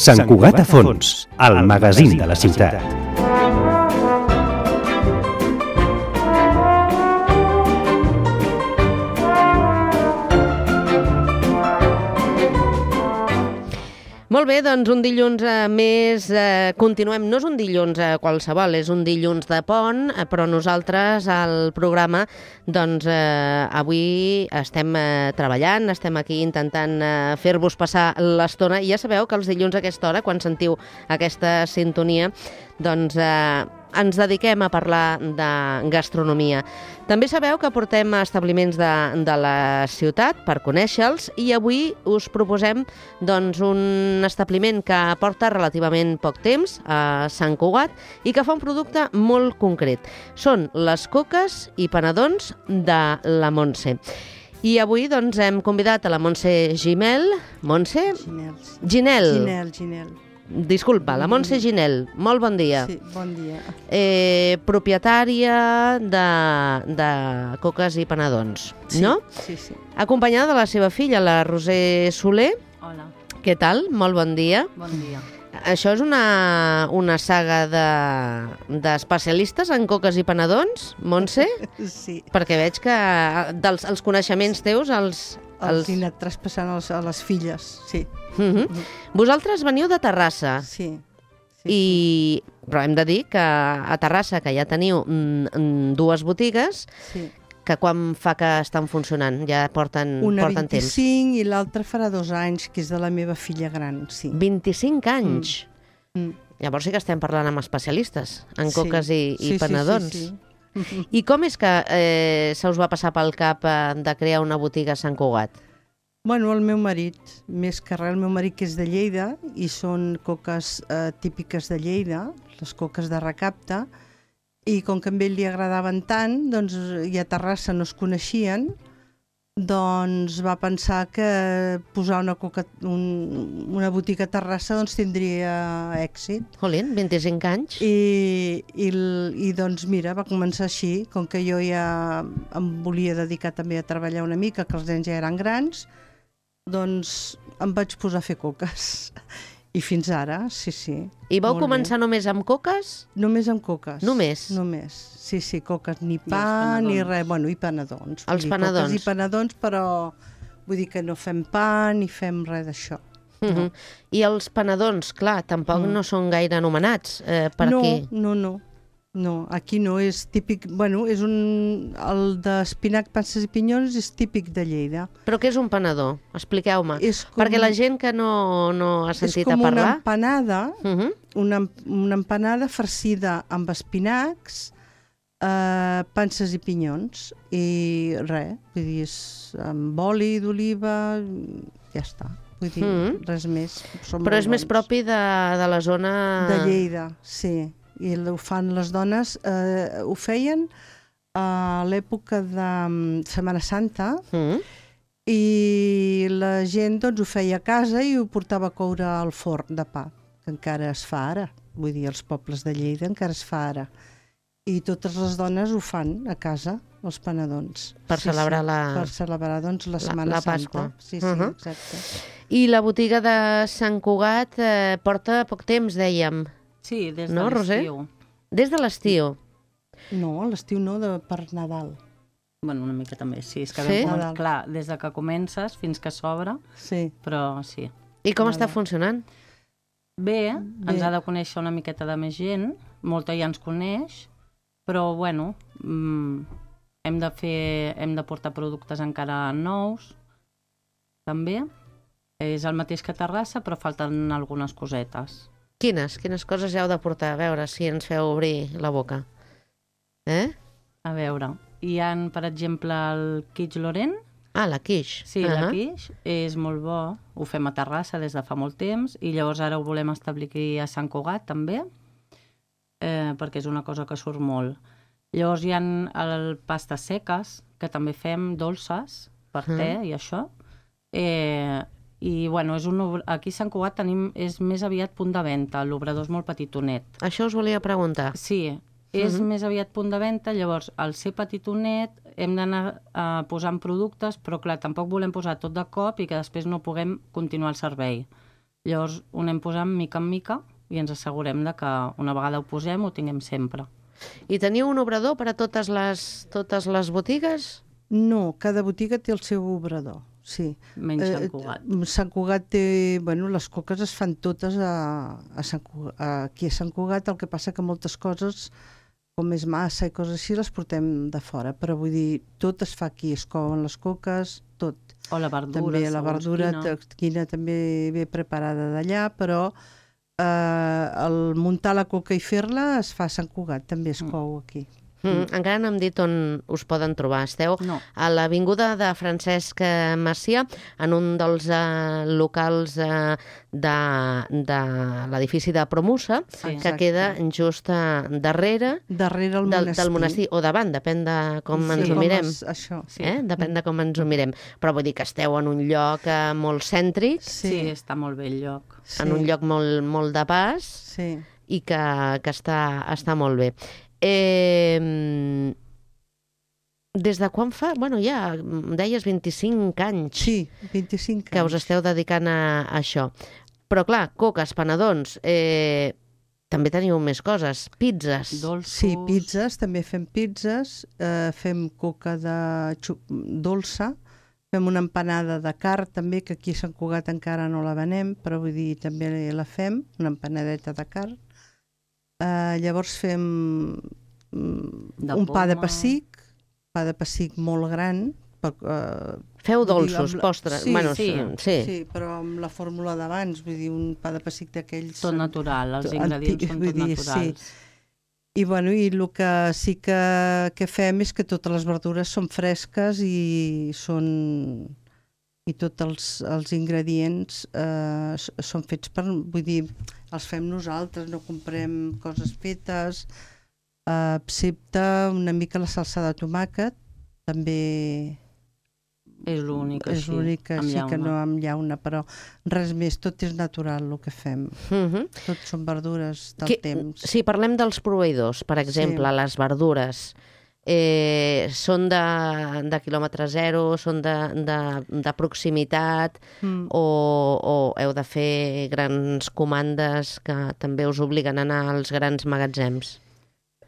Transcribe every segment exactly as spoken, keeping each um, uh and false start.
Sant Cugat a fons, el magazín de la ciutat. Molt bé, doncs un dilluns eh, més, eh, continuem, no és un dilluns eh, qualsevol, és un dilluns de pont, eh, però nosaltres al programa, doncs eh, avui estem eh, treballant, estem aquí intentant eh, fer-vos passar l'estona, i ja sabeu que els dilluns a aquesta hora, quan sentiu aquesta sintonia, doncs eh, ens dediquem a parlar de gastronomia. També sabeu que portem establiments de, de la ciutat per conèixer-los, i avui us proposem doncs, un establiment que porta relativament poc temps a Sant Cugat i que fa un producte molt concret. Són les coques i panadons de la Montse. I avui doncs, hem convidat a la Montse Gimel. Montse? Ginel. Ginel. Ginel, Ginel. Disculpa, la Montse Ginel. Molt bon dia. Sí, bon dia. Eh, propietària de, de coques i panadons, Sí, no? sí, sí. Acompanyada de la seva filla, la Roser Soler. Hola, Què tal? Molt bon dia. bon dia. Això és una, una saga de- d'especialistes en coques i panadons, Montse? Sí, Perquè veig que dels, els coneixements teus, els... els he anat traspassant als, a les filles, sí. Uh -huh. Vosaltres veniu de Terrassa. Sí, sí, I, però hem de dir que a Terrassa, que ja teniu mm, mm, dues botigues, sí. que quan fa que estan funcionant? Ja porten, Una porten temps. vint-i-cinc i l'altra farà dos anys, que és de la meva filla gran, sí. vint-i-cinc anys. Mm. Llavors sí que estem parlant amb especialistes en Sí. coques i, i Sí, sí, panadons. sí, sí. I com és que eh, se us va passar pel cap eh, de crear una botiga a Sant Cugat? Bueno, el meu marit, més que res, el meu marit que és de Lleida, i són coques eh, típiques de Lleida, les coques de recapte, i com que a ell li agradaven tant, doncs, i a Terrassa no es coneixien, doncs va pensar que posar una, coca, un, una botiga a Terrassa doncs, tindria èxit. Jolín, vint-i-cinc anys? I, i, i doncs mira, va començar així, com que jo ja em volia dedicar també a treballar una mica, que els nens ja eren grans, doncs em vaig posar a fer coques. I fins ara, sí, sí. I vau molt començar només amb coques? bé. Només amb coques. Només? Només, sí, sí, coques, ni pa, ni res, bueno, i panadons. Vull Els dir, panadons. Coques i panadons, però vull dir que no fem pa ni fem res d'això. Uh -huh. I els panadons, clar, tampoc Mm. no són gaire anomenats eh, per no, aquí. No, no, no, aquí no, és típic, bueno, és un, el d'espinac, panses i pinyons és típic de Lleida. Però què és un panador? Expliqueu-me. És com, Perquè la gent que no, no ha sentit és com a parlar... una empanada, Uh -huh. una, una empanada farcida amb espinacs, eh, panses i pinyons, i res, vull dir, és amb oli d'oliva, ja està. Vull dir, Mm. res més. Són Però molt és més bons. propi de, de la zona... De Lleida, sí. I ho fan les dones, eh, ho feien a l'època de mm, Setmana Santa, Mm. i la gent doncs, ho feia a casa i ho portava a coure al forn de pa, que encara es fa ara. Vull dir, als pobles de Lleida encara es fa ara. I totes les dones ho fan a casa, els panadons. Per celebrar la- Per celebrar, doncs, la la- Setmana la Santa. Pasqua. Sí, sí, Uh-huh. exacte. I la botiga de Sant Cugat eh, porta poc temps, dèiem. Sí, des No, de Roser? l'estiu. Des de l'estiu. No, a l'estiu no, de, per Nadal. Bueno, una mica també, sí. És que Sí? vam començar- Nadal. clar, des de que comences fins que s'obre, Sí. però sí. I com està Nadal. funcionant? Bé, Bé. ens ha de conèixer una miqueta de més gent, molta ja ens coneix, però bueno, mm, hem de fer, hem de portar productes encara nous, també. És el mateix que a Terrassa, però falten algunes cosetes. Quines? Quines coses heu de portar? A veure si ens feu obrir la boca. Eh? A veure, hi ha, per exemple, el Quiche Lorent. Ah, la quiche. Sí, uh -huh. la quiche és molt bo, ho fem a Terrassa des de fa molt temps, i llavors ara ho volem establir aquí a Sant Cugat també, eh, perquè és una cosa que surt molt. Llavors hi ha el pastes seques, que també fem dolces per te Mm. i això. Eh, I bueno, és un, obr- aquí a Sant Cugat tenim, és més aviat punt de venda, l'obrador és molt petitonet. Això us volia preguntar. Sí, és Mhm. més aviat punt de venda, llavors al ser petitonet hem d'anar uh, posant productes, però clar, tampoc volem posar tot de cop i que després no puguem continuar el servei. Llavors ho anem posant mica en mica i ens assegurem de que una vegada ho posem ho tinguem sempre. I teniu un obrador per a totes les, totes les botigues? No, cada botiga té el seu obrador, sí. Menys Sant Cugat. Eh, Sant Cugat té... Bueno, les coques es fan totes a, a Sant Cugat, aquí a Sant Cugat, el que passa que moltes coses, com és massa i coses així, les portem de fora, però vull dir, tot es fa aquí, es couen les coques, tot. O la verdura, també la verdura quina. quina també ve preparada d'allà, però eh, el muntar la coca i fer-la es fa a Sant Cugat, també es cou aquí. Mm, encara no hem dit on us poden trobar. Esteu No. a l'Avinguda de Francesc Macià, en un dels uh, locals uh, de, de l'edifici de Promusa, Sí. que Exacte. queda just uh, darrere Darrere el del, monestir. del monestir, o davant, depèn de com Sí, ens ho com mirem. es- això. Sí. Eh? Depèn de com ens ho mirem. Però vull dir que esteu en un lloc uh, molt cèntric, Sí, està molt bé el lloc. Sí. en un lloc molt, molt de pas, Sí. i que, que està, està molt bé. Eh, des de quan fa? Bueno, ja em deies vint-i-cinc anys Sí, vint-i-cinc que us anys. esteu dedicant a, a això. Però clar, coques, panadons, eh, també teniu més coses, pizzas. Dolços. Sí, pizzas, també fem pizzas, eh, fem coca de xu- dolça, fem una empanada de carn també, que aquí a Sant Cugat encara no la venem, però vull dir, també la fem, una empanadeta de carn. Eh, llavors fem mm, De un pa de poma. pessic, pa de pessic molt gran, per, eh, Feu vull dir, dolços, amb la- postres. sí, bueno, sí, sí, sí. sí, però amb la fórmula d'abans, vull dir, un pa de pessic d'aquells... Tot natural, els Tot ingredients antic, són vull tot dir, naturals. I, bueno, i el que sí que, que fem és que totes les verdures són fresques i són i tots els, els ingredients eh, s- són fets per... Vull dir, els fem nosaltres, no comprem coses fetes, eh, excepte una mica la salsa de tomàquet, també És l'únic és així, l'únic que amb sí que llauna. no amb llauna, però res més, tot és natural el que fem. Mhm. Tot són verdures del Que- temps. Si parlem dels proveïdors, per exemple, Sí. les verdures, eh, són de, de quilòmetre zero, són de, de, de proximitat, Mm. o, o heu de fer grans comandes que també us obliguen a anar als grans magatzems?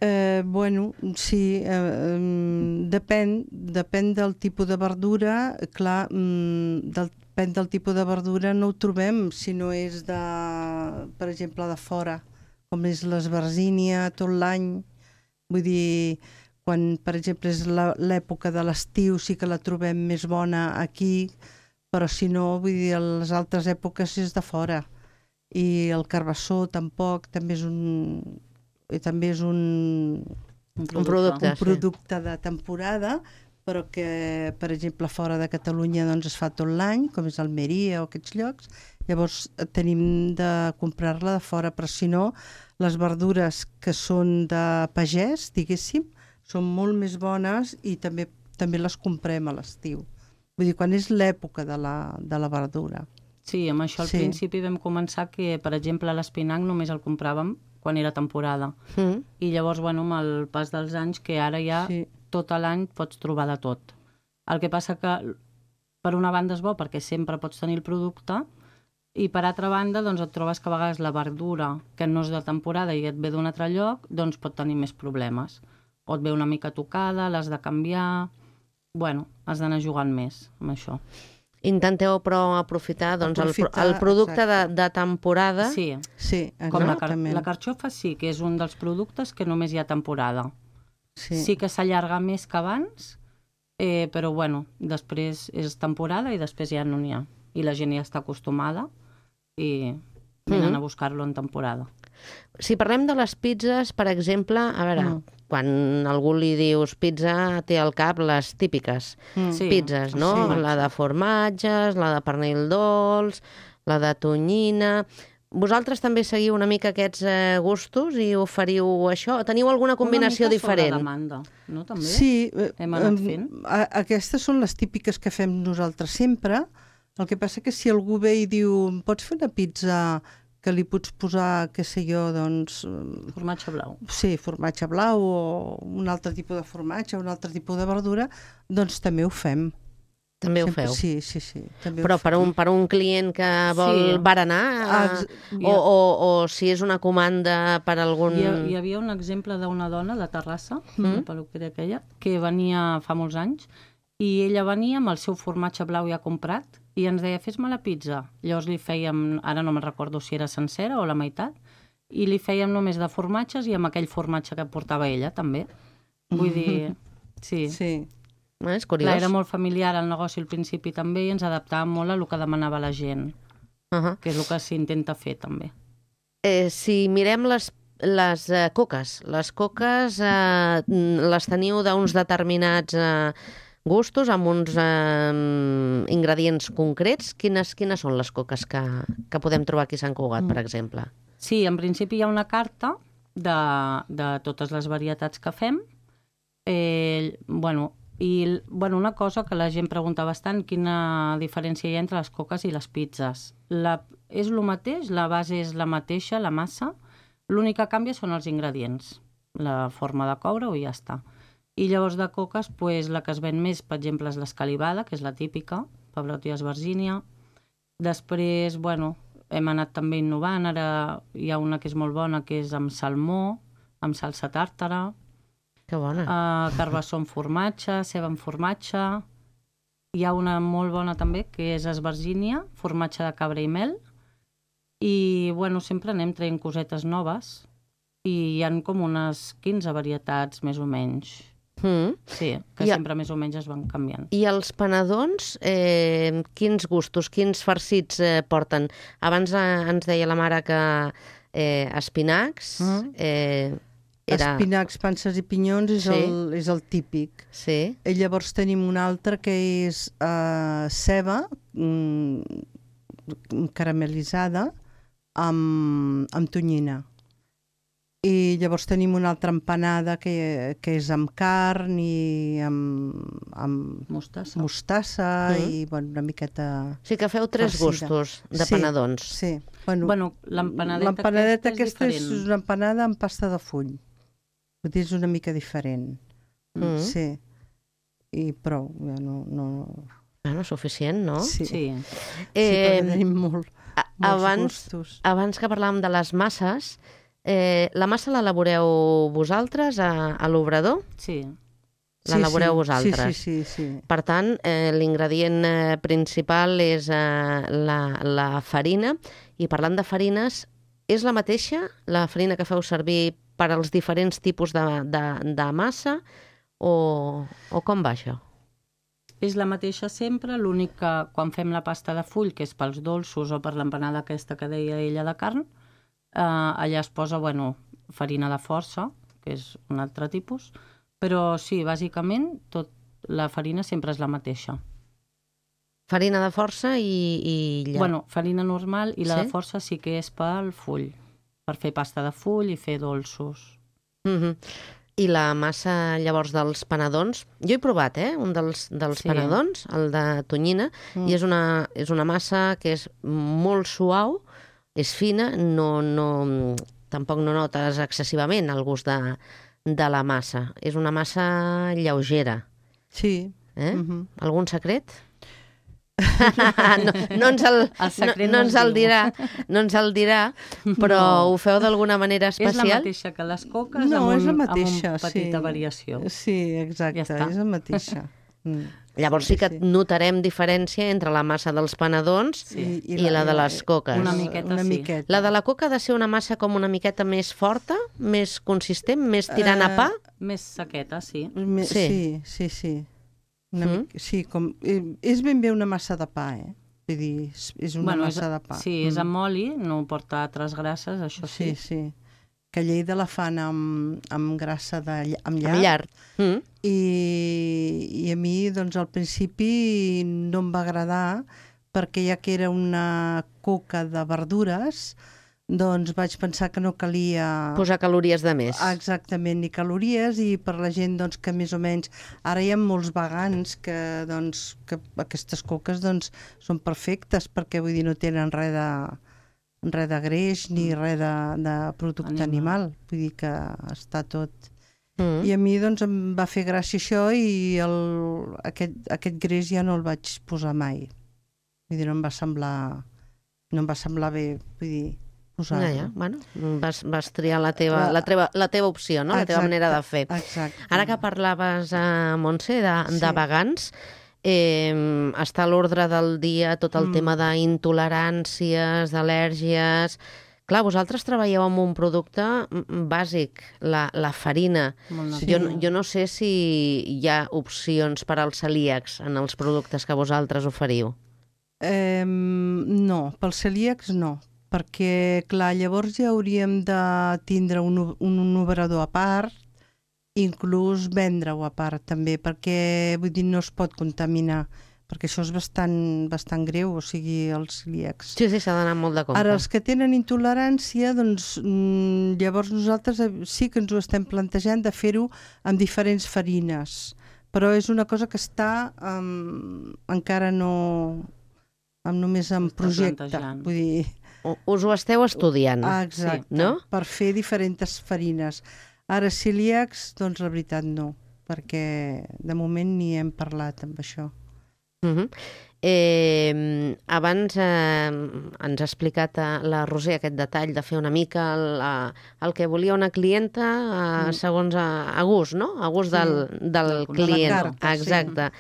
Eh, bueno, sí, eh, em, depèn, depèn del tipus de verdura, clar, mm, del, depèn del tipus de verdura no ho trobem si no és de, per exemple, de fora, com és l'esbarzínia tot l'any, vull dir, quan, per exemple, és la- l'època de l'estiu sí que la trobem més bona aquí, però si no, vull dir, a les altres èpoques és de fora. I el carbassó tampoc, també és un, i també és un, Un producte. un sí. producte de temporada, però que, per exemple, fora de Catalunya doncs, es fa tot l'any, com és Almeria o aquests llocs. Llavors eh, tenim de comprar-la de fora, però si no, les verdures que són de pagès, diguéssim, són molt més bones i també també les comprem a l'estiu. Vull dir, quan és l'època de la, de la verdura. Sí, amb això al Sí. principi vam començar que, per exemple, l'espinac només el compràvem quan era temporada. Mm. I llavors, bueno, amb el pas dels anys, que ara ja Sí. tot l'any pots trobar de tot. El que passa que, per una banda és bo perquè sempre pots tenir el producte, i per altra banda, doncs et trobes que a vegades la verdura que no és de temporada i et ve d'un altre lloc, doncs pot tenir més problemes. O et ve una mica tocada, l'has de canviar... Bueno, has d'anar jugant més amb això. Intenteu, però, aprofitar, doncs, el, pro- Aprofitar, el producte de, exacte. de temporada. Sí, Sí, com la, car exactament. la carxofa sí, que és un dels productes que només hi ha temporada. Sí. Sí que s'allarga més que abans, eh, però bueno, després és temporada i després ja no n'hi ha. I la gent ja està acostumada i venen Mhm. a buscar-lo en temporada. Si parlem de les pizzas, per exemple, a veure, Mm. quan algú li dius pizza, té al cap les típiques Mm. Sí. pizzas, no? Sí. La de formatges, la de pernil dolç, la de tonyina... Vosaltres també seguiu una mica aquests eh, gustos i oferiu això? Teniu alguna combinació Una mica sobre diferent? demanda, no? També? Sí, eh, Hem anat em, fent. a- aquestes són les típiques que fem nosaltres sempre. El que passa que si algú ve i diu "Em pots fer una pizza que li pots posar, què sé jo, doncs, eh, Formatge blau. sí, formatge blau o un altre tipus de formatge, un altre tipus de verdura, doncs també ho fem. També ho Sempre, feu. sí, sí, sí. També Però ho per fem. un, per un client que vol Sí. berenar, Ah, eh, ex- o, o, o si és una comanda per algun... Hi, ha, hi havia un exemple d'una dona de Terrassa, Mm. la peluqueria aquella, que venia fa molts anys, i ella venia amb el seu formatge blau ja comprat i ens deia, fes-me la pizza. Llavors li fèiem, ara no me'n recordo si era sencera o la meitat, i li fèiem només de formatges i amb aquell formatge que portava ella, també. Vull dir, sí. Sí. Eh, és curiós. Clar, era molt familiar el negoci al principi també i ens adaptàvem molt a el que demanava la gent, Uh -huh. que és el que s'intenta fer també. eh, si mirem les, les eh, coques, les coques eh, les teniu d'uns determinats eh, gustos, amb uns eh, ingredients concrets. Quines, quines són les coques que, que podem trobar aquí a Sant Cugat, mm. per exemple? Sí, en principi hi ha una carta de, de totes les varietats que fem. Eh, bueno, i bueno, una cosa que la gent pregunta bastant, quina diferència hi ha entre les coques i les pizzas. La, és el mateix, la base és la mateixa, la massa, l'únic que canvia són els ingredients, la forma de coure-ho i ja està. I llavors de coques, pues, la que es ven més, per exemple, és l'escalivada, que és la típica, Pavarotti Esbarzínia. Després, bueno, hem anat també innovant, ara hi ha una que és molt bona, que és amb salmó, amb salsa tàrtara, Que bona. uh, carbassó amb formatge, ceba amb formatge. Hi ha una molt bona també, que és esbarzínia, formatge de cabra i mel. I, bueno, sempre anem traient cosetes noves i hi han com unes quinze varietats, més o menys. Mm. Sí, que I a- sempre més o menys es van canviant. I els panadons, eh, quins gustos, quins farcits eh, porten? Abans eh, ens deia la mare que eh, espinacs, Mm. eh, era... Espinacs, panses i pinyons és, Sí. el, és el típic. Sí, I llavors tenim un altre que és uh, ceba mm, caramelitzada amb, amb tonyina. I llavors tenim una altra empanada que, que és amb carn i amb, amb Mostassa. mostassa Mm. i bueno, una miqueta... sí que feu tres farcida. gustos de Sí, panadons. Sí. Bueno, Bueno, l'empanadeta l'empanadeta aquesta és aquesta és diferent. una empanada amb pasta de full. Vull dir, és una mica diferent. Mm. Sí. I prou. Ja no, no... Bueno, suficient, no? Sí. Sí. Sí, Eh, perquè tenim molt, a- molts abans, gustos. abans que parlàvem de les masses, eh, la massa l'elaboreu vosaltres a, a l'obrador? Sí. L'elaboreu sí, vosaltres. Sí, sí, sí. sí. Per tant, eh, l'ingredient eh, principal és eh, la, la farina. I parlant de farines, és la mateixa la farina que feu servir per als diferents tipus de, de, de massa o, o com va això? És la mateixa sempre, l'únic que quan fem la pasta de full, que és pels dolços o per l'empanada aquesta que deia ella de carn, eh, allà es posa, bueno, farina de força, que és un altre tipus, però sí, bàsicament, tot, la farina sempre és la mateixa. Farina de força i, i lla... Bueno, farina normal i la Sí? de força sí que és pel full, per fer pasta de full i fer dolços. Mhm. I la massa, llavors, dels panadons... Jo he provat, eh?, un dels, dels Sí. panadons, el de tonyina, Mm. i és una, és una massa que és molt suau, és fina, no, no, tampoc no notes excessivament el gust de, de la massa. És una massa lleugera. Sí. Eh? Mhm. Algun secret? no, no ens el, El secret no, no no ens es el diu. dirà, no ens el dirà, però No. ho feu d'alguna manera És la especial? mateixa que les coques, No, amb, un, és la amb mateixa, una petita sí. variació. Sí, exacte, Ja està. és la mateixa. Mm. Llavors sí que notarem diferència entre la massa dels panadons Sí. i la de les coques. Una miqueta, una sí. miqueta. La de la coca ha de ser una massa com una miqueta més forta, més consistent, més tirant a Eh, pa? Més sequeta, sí. Me- Sí. Sí, sí, sí. Una Mm. mica, sí, com, eh, és ben bé una massa de pa, eh? Vull dir, és, és una Bueno, massa és, de pa. Sí, és Mm. amb oli, no porta altres grasses, això sí. Sí, sí. Que a Lleida la fan amb, amb grassa de, ll- amb llard. Amb llard. Mm. I, I a mi, doncs, al principi no em va agradar perquè ja que era una coca de verdures, doncs vaig pensar que no calia Posar calories de més. exactament ni calories i per la gent doncs, que més o menys... Ara hi ha molts vegans que, doncs, que aquestes coques doncs, són perfectes perquè vull dir no tenen res de, res de greix ni res de, de producte Animal. animal. Vull dir que està tot... Mm. I a mi doncs, em va fer gràcia això i el, aquest, aquest greix ja no el vaig posar mai. Vull dir, no em va semblar, no em va semblar bé, vull dir, posar-lo. Ja, ja. Bueno, vas, vas triar la teva, la, teva, la teva opció, no? La teva Exacte, manera de fer. Exacte. Ara que parlaves, uh, Montse, de, Sí. de vegans, eh, està a l'ordre del dia tot el Mm. tema d'intoleràncies, d'al·lèrgies... Clar, vosaltres treballeu amb un producte mm, bàsic, la, la farina. Molt Sí. Jo, jo no sé si hi ha opcions per als celíacs en els productes que vosaltres oferiu. Eh, no, pels celíacs no, perquè, clar, llavors ja hauríem de tindre un, o- un, un obrador a part, inclús vendre-ho a part també, perquè, vull dir, no es pot contaminar, perquè això és bastant, bastant greu, o sigui, els celíacs. Sí, sí, s'ha d'anar molt de compte. Ara, els que tenen intolerància, doncs mm, llavors nosaltres eh, sí que ens ho estem plantejant de fer-ho amb diferents farines, però és una cosa que està um, encara no... amb només en S'està projecte. plantejant. Vull dir, U- Us ho esteu estudiant, ah, exacte, no? per fer diferents farines. Ara, celíacs, doncs la veritat no, perquè de moment ni hem parlat amb això. Uh -huh. eh, abans eh, ens ha explicat eh, la Roser aquest detall de fer una mica el, eh, el que volia una clienta eh, Mm. segons a, a gust, no? A gust Sí. del, del Del client. de la carta, sí. Exacte.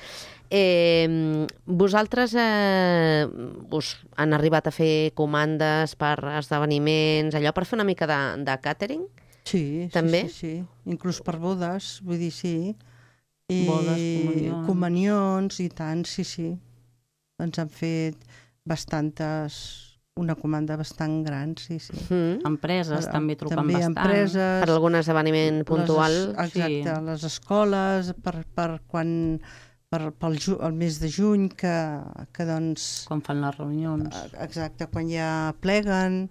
Eh, vosaltres eh, us han arribat a fer comandes per esdeveniments, allò per fer una mica de, de catering? Sí, També? sí, sí, sí. Inclús per bodes, vull dir, sí. I Bodes, comunions. comunions i tant, sí, sí. Ens han fet bastantes, una comanda bastant gran, sí, sí. Mm. Empreses també truquen També bastant. empreses, Per algun esdeveniment puntual? les, es- exacte, sí. les escoles, per, per quan per, pel ju, el mes de juny, que, que doncs, Quan fan les reunions. exacte, quan ja pleguen,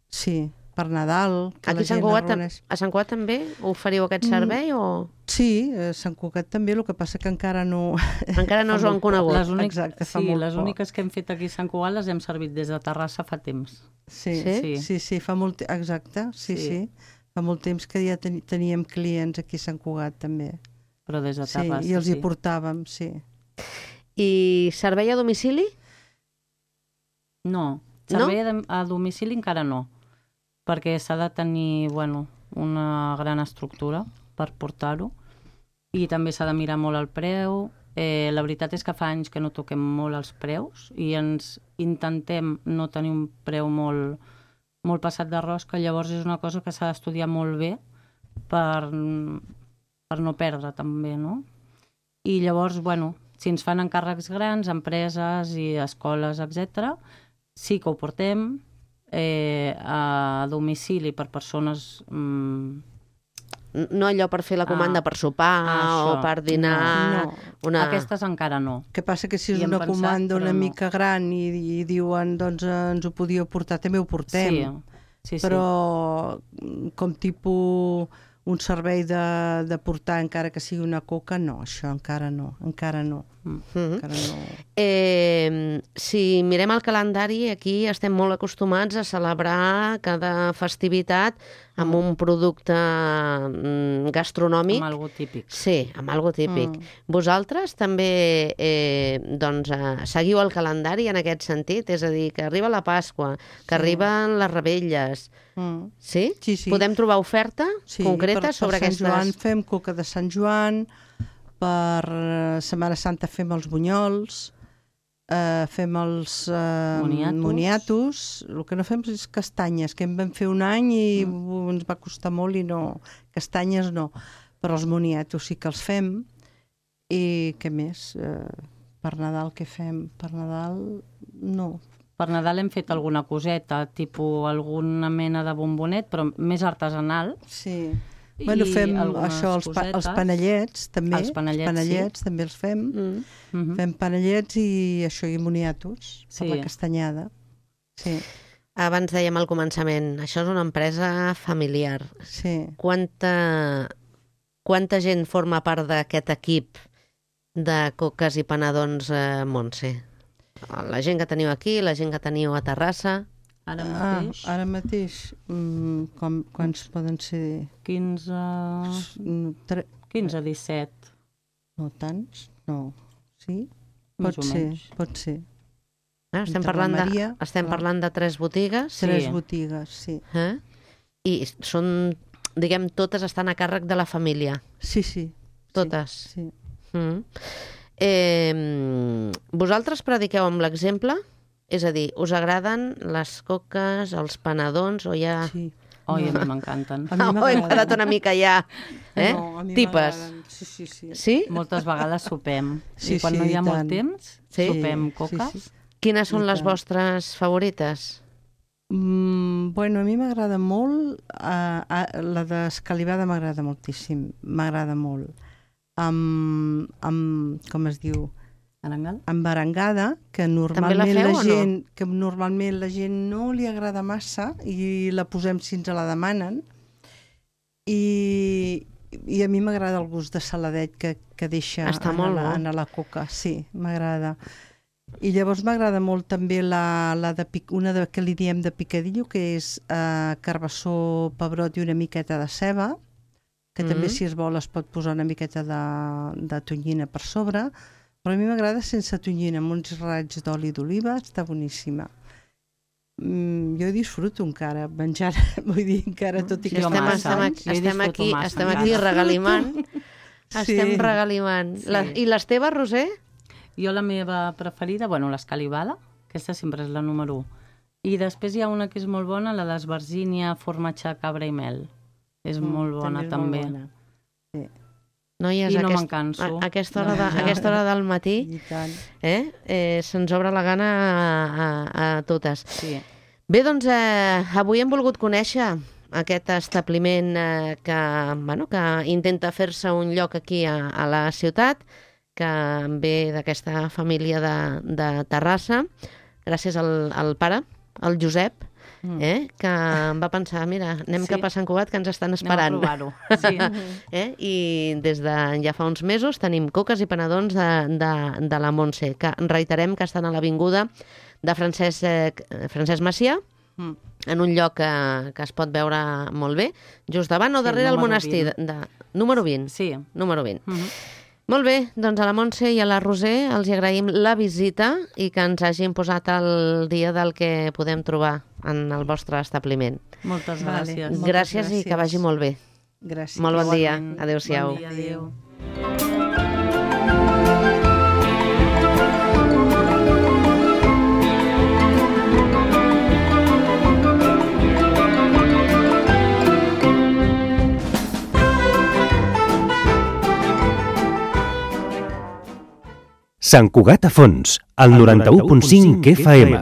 sí, per Nadal, que Aquí la a Sant gent Cugat, es reuneix. a Sant Cugat també oferiu aquest Mm. servei o Sí, a Sant Cugat també, el que passa que encara no... encara no us ho han conegut? Les únic... Exacte, fa sí, molt les poc. úniques que hem fet aquí a Sant Cugat les hem servit des de Terrassa fa temps. Sí, Sí? sí, sí, sí fa molt... te- Exacte, sí, sí, Sí. Fa molt temps que ja ten teníem clients aquí a Sant Cugat també. Però des de Sí, Terrassa, i els sí. hi portàvem, sí. I servei a domicili? No, servei no? a domicili encara no, perquè s'ha de tenir, bueno, una gran estructura per portar-ho i també s'ha de mirar molt el preu. Eh, la veritat és que fa anys que no toquem molt els preus i ens intentem no tenir un preu molt, molt passat de rosca, llavors és una cosa que s'ha d'estudiar molt bé per, per no perdre també, no? I llavors, bueno, si ens fan encàrrecs grans, empreses i escoles, etcètera, sí que ho portem eh, a domicili per persones... Mm, No allò per fer la comanda Ah, per sopar això, o per dinar... no. Una... Aquestes encara no. El que passa que si és Hi hem una pensat, comanda una però no. mica gran i, i diuen doncs eh, ens ho podíeu portar, també ho portem. Sí, sí, Però com tipus un servei de, de portar encara que sigui una coca, no, això encara no, encara no. Mm -hmm. Encara no. Eh, si mirem el calendari, aquí estem molt acostumats a celebrar cada festivitat amb un producte mm, gastronòmic. Amb algo típic. Sí, amb algo típic. Mm. Vosaltres també eh, doncs, eh, seguiu el calendari en aquest sentit? És a dir, que arriba la Pasqua, que Sí. arriben les revetlles. Mm. Sí? Sí, sí. Podem trobar oferta Sí, concreta per, sobre per Sant aquestes... Joan fem coca de Sant Joan, per eh, Setmana Santa fem els bunyols, eh, fem els eh, Moniatos. moniatos, el que no fem és castanyes, que en vam fer un any i mm. ens va costar molt i no, castanyes no, però els moniatos sí que els fem. I què més? Eh, per Nadal què fem? Per Nadal no. Per Nadal hem fet alguna coseta, tipus alguna mena de bombonet, però més artesanal. Sí. I Bueno, fem algunes això, els, pa, els cosetes. panellets també, Els panellets, panellets també els fem. Mm. Mhm. Fem panellets i això, i moniatos, per Sí. la castanyada. Sí, Abans dèiem al començament, això és una empresa familiar. sí. Quanta, quanta gent forma part d'aquest equip de coques i panadons, eh, Montse? La gent que teniu aquí, la gent que teniu a Terrassa... Ara Ah, mateix, ara mateix, mm, com, quants poden ser? quinze, Mm, Tre... quinze, disset, No tants? No. Sí? més Pot o ser, menys. pot ser. Eh? Estem, Entre la parlant de, Maria, estem clar. parlant de tres botigues. Tres Sí. botigues, sí. Eh? I són, diguem, totes estan a càrrec de la família. Sí, sí. Totes. Sí. Mm. Eh, vosaltres prediqueu amb l'exemple? És a dir, us agraden les coques, els panadons, o ja... sí. Oi, a No. mi m'encanten. A mi Ah, oh, hem quedat una mica ja... Eh? No, a mi Tipes. m'agraden. Sí, sí, sí. Sí? Moltes vegades sopem. Sí, I quan sí, no hi ha i molt tant. temps, Sí. sopem Sí, coques. sí, sí. Quines són I les tant. vostres favorites? Mm, bueno, a mi m'agrada molt, uh, uh, la d'escalivada m'agrada moltíssim, m'agrada molt. Amb, amb, com es diu, Arengal? amb arengada, que la normalment feu la o no? gent, que normalment la gent no li agrada massa i la posem si ens la demanen. I, i a mi m'agrada el gust de saladet que, que deixa Està en, molt la, bo. en la coca, sí, m'agrada. I llavors m'agrada molt també la, la de, pic- una de, que li diem de picadillo, que és eh, carbassó, pebrot i una miqueta de ceba, que Mm. també si es vol es pot posar una miqueta de, de tonyina per sobre, però a mi m'agrada sense tonyina, amb uns raigs d'oli d'oliva, està boníssima. Mm, jo disfruto encara menjar, vull dir, encara tot i Sí, que home, estem, està estem, massa. aquí, Jo hi estem, disfruto aquí, massa, estem encara. aquí regalimant. Estem Sí. regalimant. Sí. La, I les teves, Roser? Jo la meva preferida, bueno, l'escalivada, aquesta sempre és la número u. I després hi ha una que és molt bona, la d'esbarzínia, formatge, cabra i mel. És Mm, molt bona, és també. molt bona. Noies, I no aquest, me'n canso a, aquesta, de hora de, menjar. aquesta hora del matí I tant. eh, eh, se'ns obre la gana a, a, a totes. Sí. Bé, doncs eh, avui hem volgut conèixer aquest establiment eh, que, bueno, que intenta fer-se un lloc aquí a, a la ciutat, que ve d'aquesta família de, de Terrassa, gràcies al, al pare, el Josep, eh, que em va pensar, mira, anem Sí. cap a Sant Cugat, que ens estan esperant. Anem a provar-ho. Sí. Eh? I des de ja fa uns mesos tenim coques i panadons de, de, de la Montse, que reiterem que estan a l'avinguda de Francesc, eh, Francesc Macià, Mm. en un lloc que, que es pot veure molt bé, just davant o Sí, darrere el número monestir. De, vint. de, número vint. Sí. Número vint. Mhm. Molt bé, doncs a la Montse i a la Roser els hi agraïm la visita i que ens hagin posat al dia del que podem trobar en el vostre establiment. Moltes Vale. gràcies. Moltes Gràcies i que gràcies. vagi molt bé. Gràcies. Molt bon dia. Igualment. Adéu-siau. Bon dia, adéu. Sant Cugat a Fons, al noranta-u punt cinc F M.